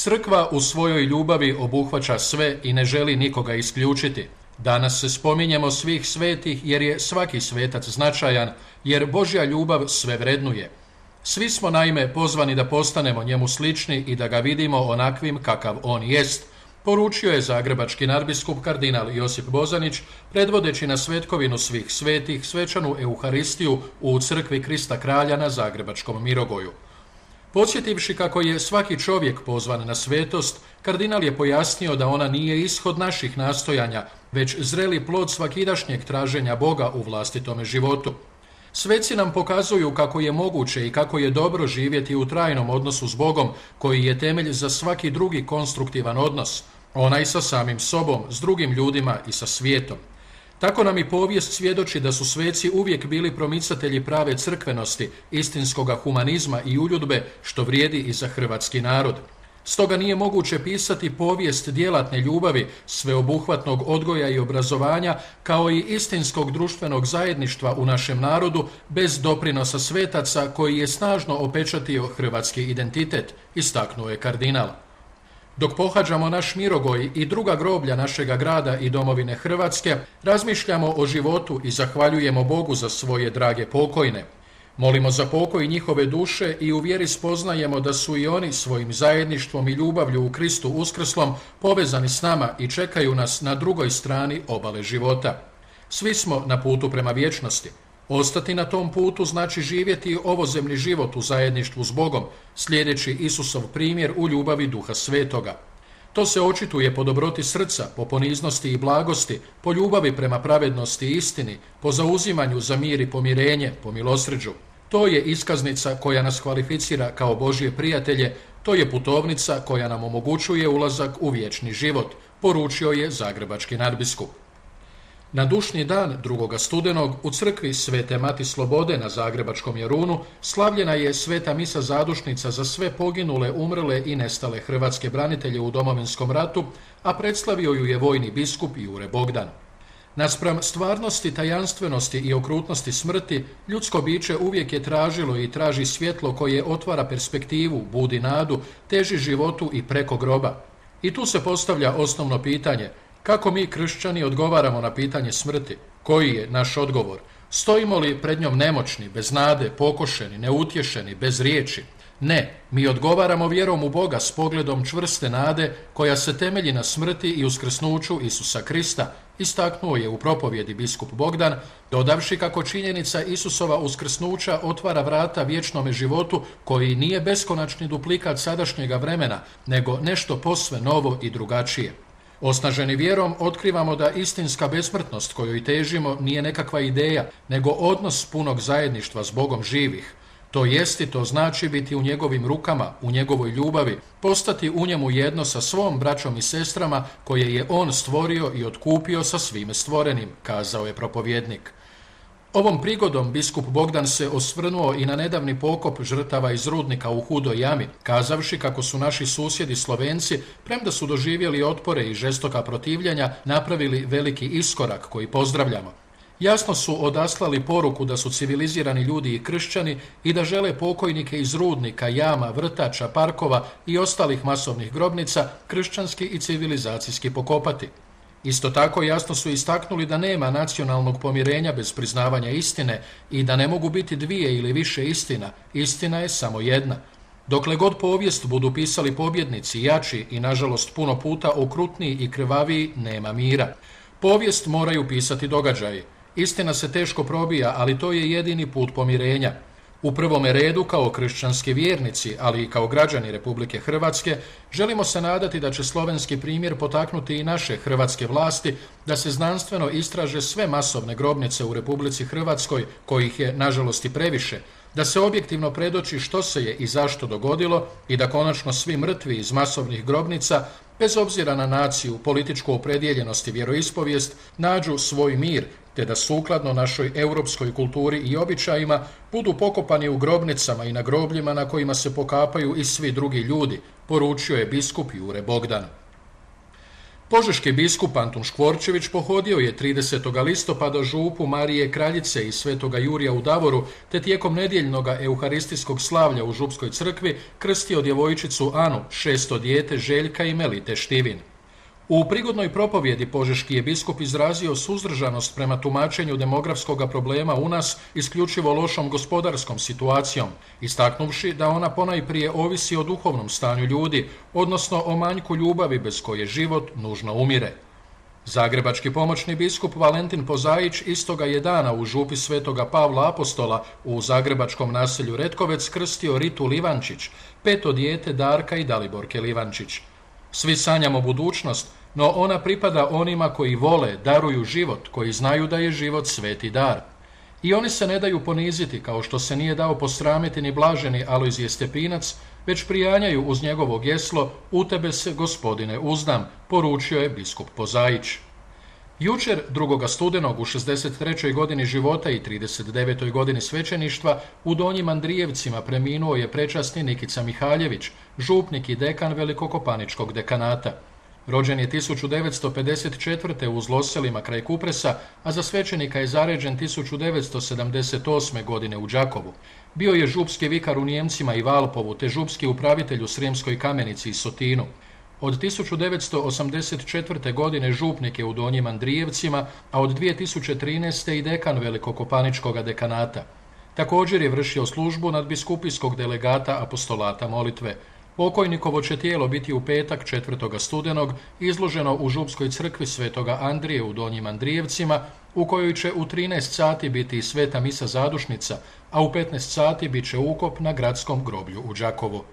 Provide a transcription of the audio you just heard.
Crkva u svojoj ljubavi obuhvaća sve i ne želi nikoga isključiti. Danas se spominjemo svih svetih jer je svaki svetac značajan, jer Božja ljubav sve vrednuje. Svi smo naime pozvani da postanemo njemu slični i da ga vidimo onakvim kakav on jest, poručio je zagrebački nadbiskup kardinal Josip Bozanić, predvodeći na svetkovinu svih svetih svečanu Euharistiju u crkvi Krista Kralja na zagrebačkom Mirogoju. Podsjetivši kako je svaki čovjek pozvan na svetost, kardinal je pojasnio da ona nije ishod naših nastojanja, već zreli plod svakidašnjeg traženja Boga u vlastitome životu. Sveci nam pokazuju kako je moguće i kako je dobro živjeti u trajnom odnosu s Bogom, koji je temelj za svaki drugi konstruktivan odnos, onaj sa samim sobom, s drugim ljudima i sa svijetom. Tako nam i povijest svjedoči da su sveci uvijek bili promicatelji prave crkvenosti, istinskoga humanizma i uljudbe, što vrijedi i za hrvatski narod. Stoga nije moguće pisati povijest djelatne ljubavi, sveobuhvatnog odgoja i obrazovanja, kao i istinskog društvenog zajedništva u našem narodu, bez doprinosa svetaca koji je snažno opečatio hrvatski identitet, istaknuo je kardinal. Dok pohađamo naš Mirogoj i druga groblja našega grada i domovine Hrvatske, razmišljamo o životu i zahvaljujemo Bogu za svoje drage pokojne. Molimo za pokoj njihove duše i u vjeri spoznajemo da su i oni svojim zajedništvom i ljubavlju u Kristu uskrslom povezani s nama i čekaju nas na drugoj strani obale života. Svi smo na putu prema vječnosti. Ostati na tom putu znači živjeti ovozemni život u zajedništvu s Bogom, slijedeći Isusov primjer u ljubavi Duha Svetoga. To se očituje po dobroti srca, po poniznosti i blagosti, po ljubavi prema pravednosti i istini, po zauzimanju za mir i pomirenje, po milosrđu. To je iskaznica koja nas kvalificira kao Božje prijatelje, to je putovnica koja nam omogućuje ulazak u vječni život, poručio je zagrebački nadbiskup. Na dušnji dan 2. studenog u crkvi Svete Mati Slobode na zagrebačkom Jarunu slavljena je sveta misa zadušnica za sve poginule, umrle i nestale hrvatske branitelje u Domovinskom ratu, a predstavio ju je vojni biskup Jure Bogdan. Naspram stvarnosti, tajanstvenosti i okrutnosti smrti, ljudsko biće uvijek je tražilo i traži svjetlo koje otvara perspektivu, budi nadu, teži životu i preko groba. I tu se postavlja osnovno pitanje: kako mi kršćani odgovaramo na pitanje smrti? Koji je naš odgovor? Stojimo li pred njom nemoćni, bez nade, pokošeni, neutješeni, bez riječi? Ne, mi odgovaramo vjerom u Boga s pogledom čvrste nade koja se temelji na smrti i uskrsnuću Isusa Krista, istaknuo je u propovjedi biskup Bogdan, dodavši kako činjenica Isusova uskrsnuća otvara vrata vječnome životu koji nije beskonačni duplikat sadašnjega vremena, nego nešto posve novo i drugačije. Osnaženi vjerom otkrivamo da istinska besmrtnost kojoj težimo nije nekakva ideja, nego odnos punog zajedništva s Bogom živih. To jest i to znači biti u njegovim rukama, u njegovoj ljubavi, postati u njemu jedno sa svom braćom i sestrama koje je on stvorio i otkupio sa svime stvorenim, kazao je propovjednik. Ovom prigodom biskup Bogdan se osvrnuo i na nedavni pokop žrtava iz rudnika u Hudoj jami, kazavši kako su naši susjedi Slovenci, premda su doživjeli otpore i žestoka protivljenja, napravili veliki iskorak koji pozdravljamo. Jasno su odaslali poruku da su civilizirani ljudi i kršćani i da žele pokojnike iz rudnika, jama, vrtača, parkova i ostalih masovnih grobnica kršćanski i civilizacijski pokopati. Isto tako jasno su istaknuli da nema nacionalnog pomirenja bez priznavanja istine i da ne mogu biti dvije ili više istina. Istina je samo jedna. Dokle god povijest budu pisali pobjednici, jači i nažalost puno puta okrutniji i krvaviji, nema mira. Povijest moraju pisati događaji. Istina se teško probija, ali to je jedini put pomirenja. U prvome redu, kao kršćanski vjernici, ali i kao građani Republike Hrvatske, želimo se nadati da će slovenski primjer potaknuti i naše hrvatske vlasti da se znanstveno istraže sve masovne grobnice u Republici Hrvatskoj, kojih je nažalost i previše, da se objektivno predoči što se je i zašto dogodilo i da konačno svi mrtvi iz masovnih grobnica, bez obzira na naciju, političku opredijeljenost i vjeroispovijest, nađu svoj mir, te da sukladno našoj europskoj kulturi i običajima budu pokopani u grobnicama i na grobljima na kojima se pokapaju i svi drugi ljudi, poručio je biskup Jure Bogdan. Požeški biskup Antun Škvorčević pohodio je 30. listopada župu Marije Kraljice i Svetoga Jurija u Davoru, te tijekom nedjeljnog euharistijskog slavlja u župskoj crkvi krstio djevojčicu Anu, 6. dijete Željka i Melite Štivin. U prigodnoj propovjedi požeški je biskup izrazio suzdržanost prema tumačenju demografskog problema u nas isključivo lošom gospodarskom situacijom, istaknuvši da ona ponajprije ovisi o duhovnom stanju ljudi, odnosno o manjku ljubavi bez koje život nužno umire. Zagrebački pomoćni biskup Valentin Pozajić istoga je dana u župi Svetoga Pavla Apostola u zagrebačkom naselju Retkovec krstio Ritu Livančić, 5. dijete Darka i Daliborke Livančić. Svi sanjamo budućnost, no ona pripada onima koji vole, daruju život, koji znaju da je život sveti dar. I oni se ne daju poniziti, kao što se nije dao posramiti ni blaženi Alojzije Stepinac, već prijanjaju uz njegovo geslo: "U tebe se, Gospodine, uzdam", poručio je biskup Pozajić. Jučer, 2. studenog u 63. godini života i 39. godini svećeništva, u Donjim Andrijevcima preminuo je prečasni Nikica Mihaljević, župnik i dekan Velikokopaničkog dekanata. Rođen je 1954. u Zloselima kraj Kupresa, a za svećenika je zaređen 1978. godine u Đakovu. Bio je župski vikar u Nijemcima i Valpovu, te župski upravitelj u Srijemskoj Kamenici i Sotinu. Od 1984. godine župnik je u Donjim Andrijevcima, a od 2013. i dekan Velikokopaničkog dekanata. Također je vršio službu nadbiskupijskog delegata apostolata molitve. Pokojnikovo će tijelo biti u petak 4. studenog izloženo u župskoj crkvi Svetoga Andrije u Donjim Andrijevcima, u kojoj će u 13 sati biti i sveta misa zadušnica, a u 15 sati bit će ukop na gradskom groblju u Đakovu.